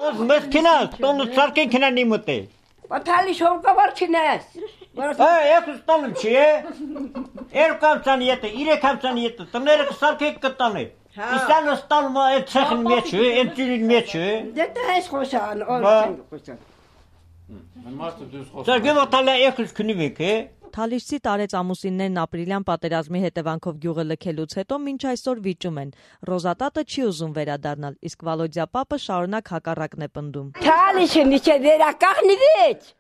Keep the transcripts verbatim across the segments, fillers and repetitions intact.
Մեզ քինաս, տոնը սարքեն քինանի մտե։ Բաթալի շողկավար քինաս։ Է, եկուս տոնը չի է։ Երկու ամսան ետը, իրեք ամսան ետը, տները կսարքեք կտանը։ Իսանը ստալում է այդ ցեխին մեջ է, այդ ծիրին մեջ է։ Դե տես խոսան, օր խոսան։ Սա գյուղը եկուս քնիվեք է։ Թալիշցի տարեց ամուսիններն ապրիլյան պատերազմի հետևանքով գյուղը լքելուց հետո մինչ այսօր վիճում են։ Ռոզատատը չի ուզում վերադառնալ, իսկ Վալոդյա պապը շարունակ հակառակն է պնդում։ Թալիշը միջե վերականգնվեց։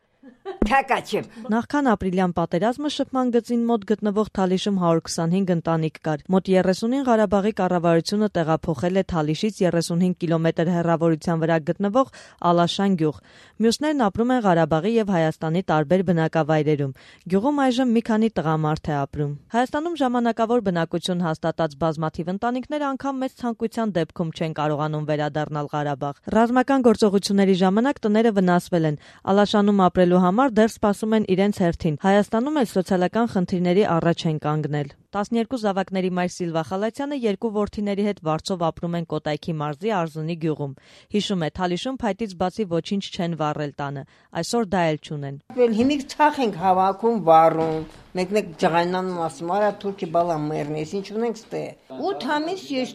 Թակաչեմ։ Նախքան ապրիլյան պատերազմը շփման գծին մոտ գտնվող Թալիշում հարյուր քսանհինգ ընտանիք կար։ Մոտ երեսունին Ղարաբաղի կառավարությունը տեղափոխել է Թալիշից երեսունհինգ կիլոմետր հեռավորության վրա գտնվող Ալաշան գյուղ։ Մյուսներն ապրում են Ղարաբաղի եւ Հայաստանի տարբեր բնակավայրերում։ Գյուղում այժմ մի քանի տղամարդ է ապրում։ Հայաստանում ժամանակավոր բնակություն հաստատած բազմաթիվ ընտանիքներ անգամ մեծ ցանկության դեպքում չեն կարողանում վերադառնալ Ղարաբաղ։ Ռազմական գործողությունների ժամանակ տները վնասվել են։ Ալաշանում ապրելու համար դեռ սպասում են իրենց հերթին։ Հայաստանում էլ սոցիալական խնդիրների առաջ են կանգնել։ տասներկու զավակների մայր Սիլվա Խալացյանը երկու որդիների հետ վարձով ապրում են Կոտայքի մարզի Արզունի գյուղում։ Հիշում է, Թալիշում փայտից բացի ոչինչ չեն վառել տանը։ Այսօր դա էլ չունեն։ Հիմիկ ցախ ենք հավաքում, վառում, մեկ-մեկ ջղայնանում ասում, արա թուրքի բալա մեռնես, ինչ ունենք ստե։ ութ ամիս ես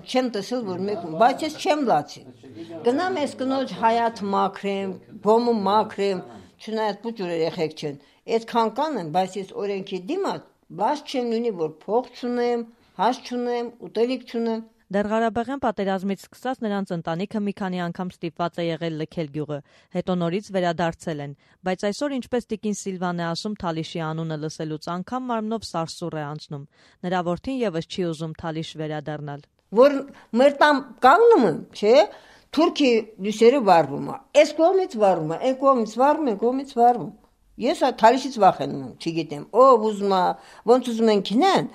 չեմ տեսել, որ մեկ, բայց ես չեմ լացի։ Գնամ ես կնոջ հայաթ մաքրեմ, բոմը մաքրեմ, չնայած փոքր երեխեք չեն։ Այդքան կանեմ, բայց ես օրենքի դիմաց բաց չեմ լինի, որ փող չունեմ, հաշ չունեմ, ուտելիք չունեմ։ Դեռ Ղարաբաղյան պատերազմից սկսած նրանց ընտանիքը մի քանի անգամ ստիպված է եղել լքել գյուղը, հետո նորից վերադարձել են, բայց այսօր ինչպես տիկին Սիլվան է ասում, Թալիշի անունը լսելուց անգամ մարմնով սարսուռ է անցնում։ Նրա որդին եւս չի ուզում Թալիշ վերադառնալ։ Որ մեր տամ կանգնում եմ, չէ՞, թուրքի լույսերը վառվում է։ Այս կողմից վառվում է, այն կողմից վառվում, այն կողմից վառվում։ Ես Թալիշից վախենում եմ, չգիտեմ, ով ուզում է, ոնց ուզում են քինեն։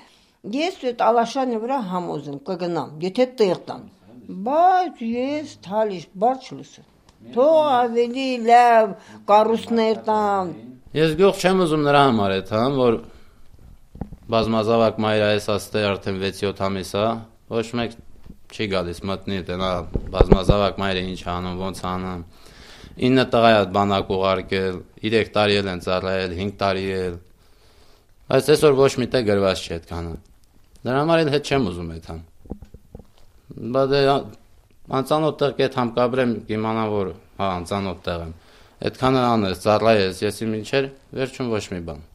Ես այդ Ալաշանի վրա համոզեմ կգնամ, եթե տեղ տան, բայց ես Թալիշ բարձ չլսեմ, թող ավելի լավ կառույցներ տան։ Ես գյուղ չեմ ուզում նրա համար այդ, հա, որ բազմազավակ մայր այս աստե արդեն վեց-յոթ ամիս է, ոչ մեկ չի գալիս մտնի, տնա բազմազավակ մայրը ինչ անում, ոնց անում, ինը տղա է բանակ ուղարկել, երեք տարի էլ են ծառայել, հինգ տարի էլ, բայց այսօր ոչ մի տեղ գրված չի այդքանը։ Դրա համար էլ հետ չեմ ուզում այդ համ։ Բա դե անծանոթ տեղ կետ համ կաբրեմ, կիմանամ, որ հա անծանոթ տեղ եմ։ Այդքանը անես, ծառայես, եսի մինչեր, վերջում ոչ մի բան։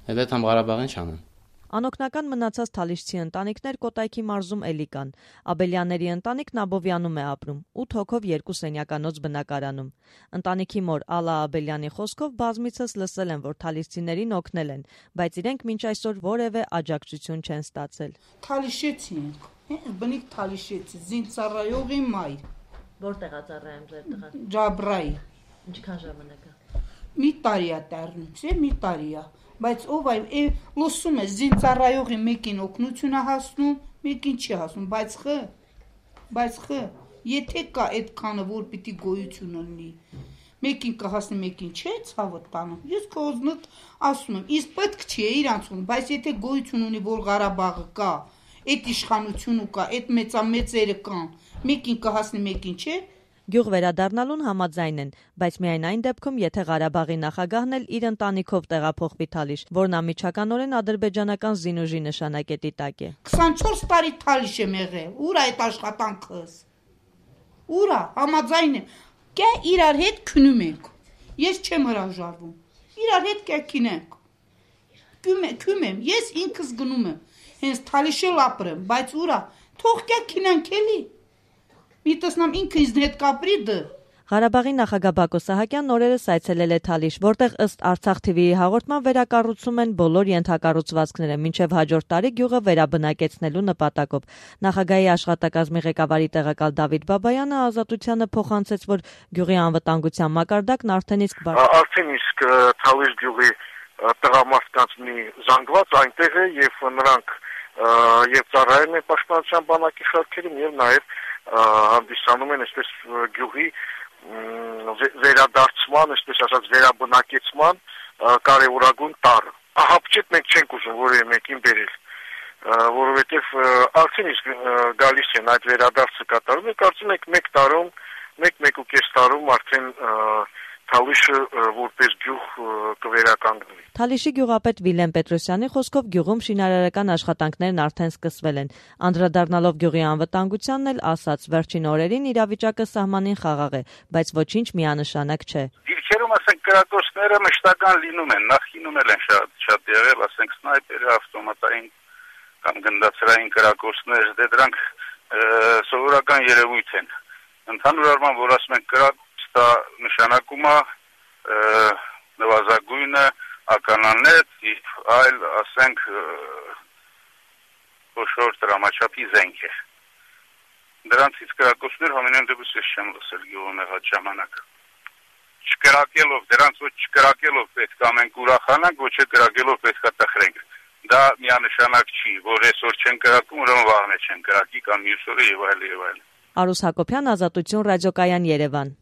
Էլ այդ համ Ղարաբաղին չանեմ։ Անօգնական մնացած թալիշցի ընտանիքներ Կոտայքի մարզում էլի կան։ Աբելյանների ընտանիքն Աբովյանում է ապրում, ութ հոգով երկու սենյականոց բնակարանում։ Ընտանիքի մոր Ալա Աբելյանի խոսքով բազմիցս լսել են, որ թալիշցիներին օգնել են, բայց իրենք մինչ այսօր որևէ աջակցություն չեն ստացել։ Թալիշեցի ենք, բնիկ թալիշեցի, զինծառայողի մայր։ Որտեղ է ծառայում ձեր տղան։ Ջաբրայի։ Ինչքան ժամանակ է։ Մի տարի է տառնուց, մի տարի է։ Բայց ով այ լսում է զինծառայողի մեկին օգնություն է հասնում, մեկին չի հասնում, բայց խ, բայց խ, եթե կա այդքանը, որ պիտի գոյություն ունի, մեկին կհասնի, մեկին չէ, ցավը տանում։ Ես քոզնդ ասում եմ, իսկ պետք չի է իրանցում, բայց եթե գոյություն ունի, որ Ղարաբաղը կա, այդ իշխանությունը կա, այդ մեծամեծերը կան, մեկին կհասնի, մեկին չէ։ Գյուղ վերադառնալուն համաձայն են, բայց միայն այն դեպքում, եթե Ղարաբաղի նախագահն էլ իր ընտանիքով տեղափոխվի Թալիշ, որն անմիջականորեն ադրբեջանական զինուժի նշանակետի տակ է։ քսանչորս տարի Թալիշ եմ եղել, ուր այդ աշխատանքս։ Ուր է, համաձայն եմ, կե իրար հետ քնում ենք։ Ես չեմ հրաժարվում։ Իրար հետ կե քինենք։ Քում եմ, ես ինքս գնում եմ, հենց Թալիշը ապրեմ, բայց ուր է, թող կե քինենք էլի։ Մի տեսնամ ինքը ինձ հետ կապրի դը։ Ղարաբաղի նախագահ Բակո Սահակյանն օրերս այցելել է Թալիշ, որտեղ ըստ Արցախ թի վի-ի հաղորդման վերակառուցում են բոլոր ենթակառուցվածքները, մինչև հաջորդ տարի գյուղը վերաբնակեցնելու նպատակով։ Նախագահի աշխատակազմի ղեկավարի տեղակալ Դավիթ Բաբայանը Ազատությանը փոխանցեց, որ գյուղի անվտանգության մակարդակն արդեն իսկ Արդեն իսկ Թալիշ գյուղի տղամարդկանց մի զանգված այնտեղ է եւ նրանք եւ ծառայում են պաշտպանության բանակի շարքերում եւ նաեւ հանդիսանում են այսպես գյուղի վերադարձման, այսպես ասած վերաբնակեցման կարևորագույն տարր։ Ահապճետ մենք չենք ուզում որևէ մեկին բերել, որովհետեւ արդեն իսկ գալիս են այդ վերադարձը կատարում, կարծում եք մեկ տարում մեկ-մեկ ու կես տարում արդեն Թալիշը որպես գյուղ կվերականգնվի։ Թալիշի գյուղապետ Վիլեն Պետրոսյանի խոսքով գյուղում շինարարական աշխատանքներն արդեն սկսվել են։ Անդրադառնալով գյուղի անվտանգությանն էլ ասաց, վերջին օրերին իրավիճակը սահմանին խաղաղ է, բայց ոչինչ միանշանակ չէ։ Դիրքերում ասենք կրակոցները մշտական լինում են, նախկինում էլ են շատ շատ եղել, ասենք սնայպերը, ավտոմատային կամ գնդացրային կրակոցներ, դե դրանք սովորական երևույթ են։ Ընդհանուր առմամբ, որ ասում են կրակ դա նշանակում է նվազագույնը ականանետ եւ այլ, ասենք, խոշոր դրամաչափի զենք է։ Դրանցից կրակոցներ համենայն դեպս ես չեմ լսել գյուղում եղած ժամանակ։ Չկրակելով, դրանց ոչ չկրակելով պետք է մենք ուրախանանք, ոչ է կրակելով պետք է տխրենք։ Դա միանշանակ չի, որ այսօր չեն կրակում, ուրեմն վաղն չեն կրակի կամ մյուս օրը եւ այլ եւ այլ։ Արուս Հակոբյան, Ազատություն ռադիոկայան, Երևան։